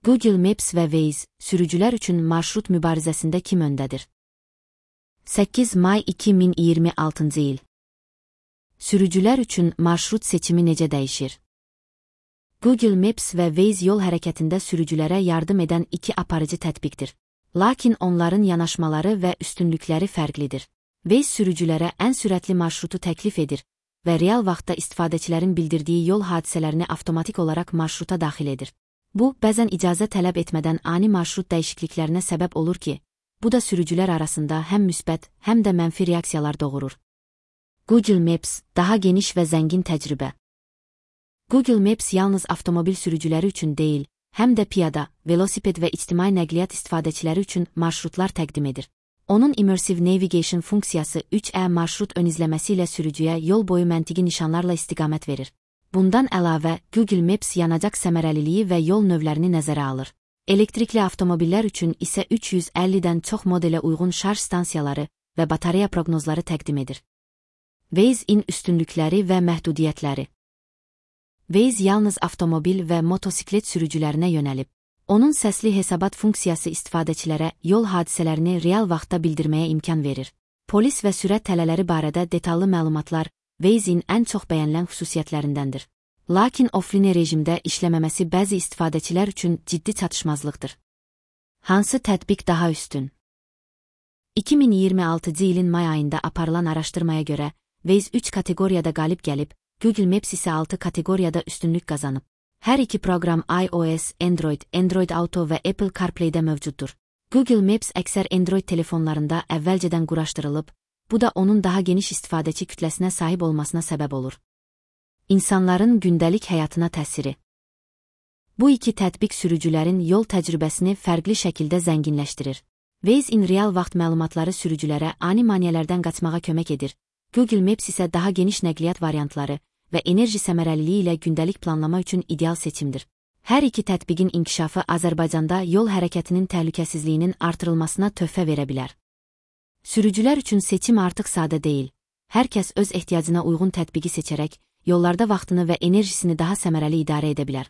Google Maps və Waze, sürücülər üçün marşrut mübarizəsində kim öndədir? 8 may 2026-cı il. Sürücülər üçün marşrut seçimi necə dəyişir? Google Maps və Waze yol hərəkətində sürücülərə yardım edən iki aparıcı tətbiqdir. Lakin onların yanaşmaları və üstünlükləri fərqlidir. Waze sürücülərə ən sürətli marşrutu təklif edir və real vaxtda istifadəçilərin bildirdiyi yol hadisələrini avtomatik olaraq marşruta daxil edir. Bu, bəzən icazə tələb etmədən ani marşrut dəyişikliklərinə səbəb olur ki, bu da sürücülər arasında həm müsbət, həm də mənfi reaksiyalar doğurur. Google Maps, daha geniş və zəngin təcrübə. Google Maps yalnız avtomobil sürücüləri üçün deyil, həm də piyada, velosiped və ictimai nəqliyyat istifadəçiləri üçün marşrutlar təqdim edir. Onun Immersive Navigation funksiyası 3E marşrut ön izləməsi ilə sürücüyə yol boyu məntiqi nişanlarla istiqamət verir. Bundan əlavə, Google Maps yanacaq səmərəliliyi və yol növlərini nəzərə alır. Elektrikli avtomobillər üçün isə 350-dən çox modelə uyğun şarj stansiyaları və batareya proqnozları təqdim edir. Waze-in üstünlükləri və məhdudiyyətləri. Waze yalnız avtomobil və motosiklet sürücülərinə yönəlib. Onun səsli hesabat funksiyası istifadəçilərə yol hadisələrini real vaxtda bildirməyə imkan verir. Polis və sürət tələləri barədə detallı məlumatlar Waze-in ən çox bəyənilən xüsusiyyətlərindəndir. Lakin offline rejimdə işləməməsi bəzi istifadəçilər üçün ciddi çatışmazlıqdır. Hansı tətbiq daha üstün? 2026-cı ilin may ayında aparılan araşdırmaya görə, Waze 3 kateqoriyada qalib gəlib, Google Maps isə 6 kateqoriyada üstünlük qazanıb. Hər iki proqram iOS, Android, Android Auto və Apple CarPlay-də mövcuddur. Google Maps əksər Android telefonlarında əvvəlcədən quraşdırılıb, bu da onun daha geniş istifadəçi kütləsinə sahib olmasına səbəb olur. İnsanların gündəlik həyatına təsiri. Bu iki tətbiq sürücülərin yol təcrübəsini fərqli şəkildə zənginləşdirir. Waze-in real vaxt məlumatları sürücülərə ani maneələrdən qaçmağa kömək edir. Google Maps isə daha geniş nəqliyyat variantları və enerji səmərəliliyi ilə gündəlik planlama üçün ideal seçimdir. Hər iki tətbiqin inkişafı Azərbaycanda yol hərəkətinin təhlükəsizliyinin artırılmasına töhfə verə bilər. Sürücülər üçün seçim artıq sadə deyil. Hər kəs öz ehtiyacına uyğun tətbiqi seçərək, yollarda vaxtını və enerjisini daha səmərəli idarə edə bilər.